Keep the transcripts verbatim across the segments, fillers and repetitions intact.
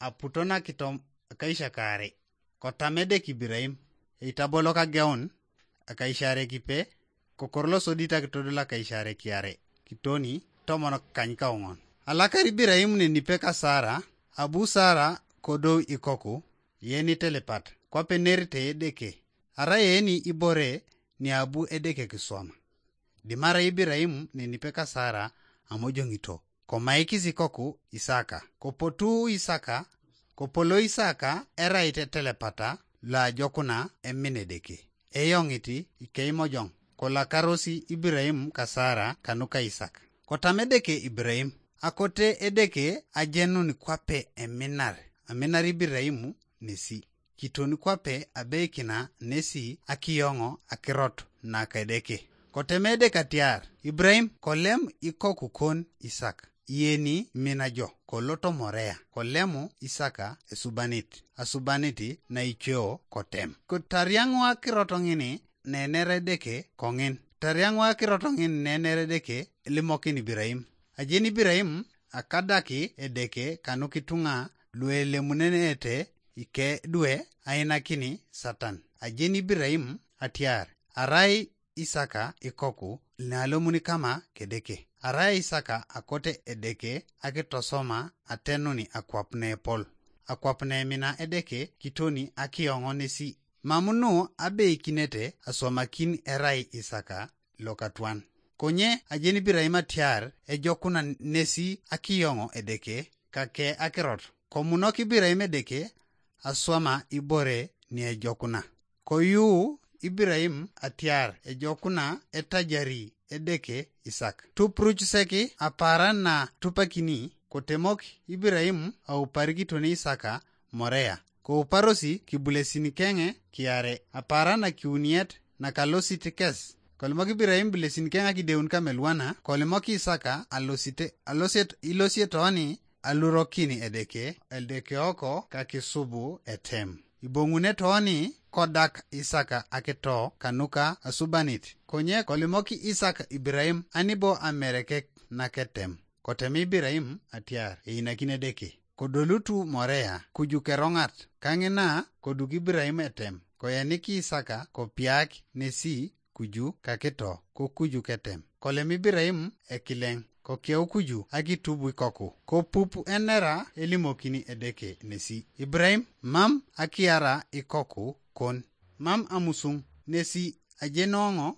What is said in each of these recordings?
aputo nakitom akaisiak aare. Kotam Edeke Iburaim, eitabolo kageun akaisiare kipe, kokor losodit akitodol akaisiare kiare, kitoni tomon kany kaoŋon. Alakar Iburaim nenipe ka Sara, abu Sara kodou ikoku, yen itelepat, kwape nerite Edeke, arai eni ibore ni abu Edeke kiswama. Dimara Iburaim nenipe ka Sara amojoŋito, komaikis ikoku Isaka. Kopotu Isaka, kopolo Isaka erait etelepata loajokuna emin Edeke. Eyoŋit ikeimojoŋ, kolakarosi Iburaim ka Sara kanuka Isaka. Kotam Edeke Iburaim, akote Edeke ajenun kwape eminar, aminar Iburaim nesi. Kiton kwape abeikina nesi akiyoŋo akirot naka Edeke. Koteme Edeke atiar, Iburaim, kolem ikoku kon Isak, iyeni mina jo, koloto Morea, kolemu Isaka esubanit, asubanit naicio kotem. Kotariaŋu akirot ŋini nenere Edeke koŋin. Tariaŋu akirot ŋin nenere Edeke limokin Iburaim. Ajeni Iburaim akadaki Edeke kanukituŋa luelemunenete ikedwe ainakini Satan. Ajeni Iburaim atiar, arai Isaka ikoku nalomun kama kedeke. Arai Isaka akote Edeke akitosoma atenuni akwap nepol. Akwap nemina Edeke kitoni akiyoŋo nesi. Mam nu abeikinete aswamakin erai Isaka lokatwan. Konye ajeni Iburaim atiar ejokuna nesi akiyoŋo Edeke kake akirot. Komunok Iburaim Edeke aswama ibore niejokuna. Koyu Iburaim atiar ejokuna etajari Edeke Isak. Tupruc sek apaaran na tupakini, kotemok Iburaim auparikitoni Isaka Morea. Kouparosi kibulesin keŋe kiare, apaaran akiuniet nakalosit kes. Kolimok Iburaim ibulesin keŋe akideun kameluana, kolimok Isaka alosite, aloset, ilosie toni alurokin Edeke, Edeke oko kakisubu etem. Iboŋune toni kodak Isaka akito kanuka asubanit. Konye kolimok Isaka Iburaim anibo amerekek naketem. Kotem Iburaim atiar einakini Edeke. Kodolutu Morea kuju keroŋat, kaŋina koduk Iburaim etem, koyanik Isaka kopiak nesi kuju kakito, kokuju ketem. Kolem Iburaim ekileŋ, kokeu kuju akitub ikoku, kopup enera elimokini Edeke nesi. Iburaim, mam akiara ikoku kon, mam amusuŋ, nesi ajenuoŋo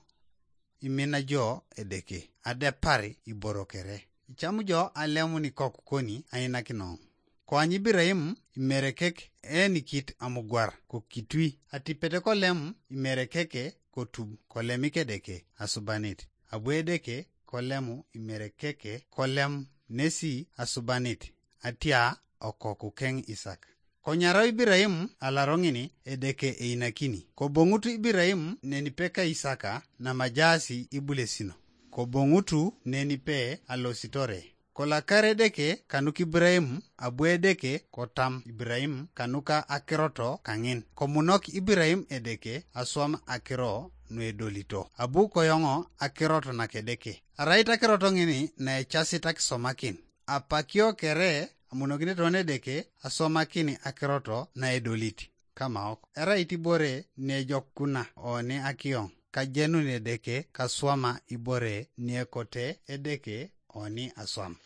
imina jo Edeke, adepar iboro kere. Icam jo alemun ikoku koni ainakinoŋ. Koany Iburaim imerekek enikit amugwar kokitui, atipet kolem imerekeke kotub, kolemik Edeke asubanit. Abu Edeke kolemu imerekeke kolem nesi asubanit, atia okoku keŋ Isak. Konyarau Iburaim alaro ŋini Edeke einakini. Koboŋut Iburaim nenipe ka Isaka namajaasi ibulesino. Koboŋutu nenipe alositore. Kolakar Edeke kanuk Iburaim abu Edeke kotam Iburaim kanuka akiroto kaŋin. Komunok Iburaim Edeke aswam akiro nuedolito. Abu koyoŋo akirot nakedeke. Arait akirot ŋini naecasit akisomakin. Apakio kere amunokini toni Edeke aswamakin akirot naedolit. Kamaok. Erait ibore niejokuna oni akiyoŋ. Kajenun Edeke kaswama ibore niekote Edeke oni aswam.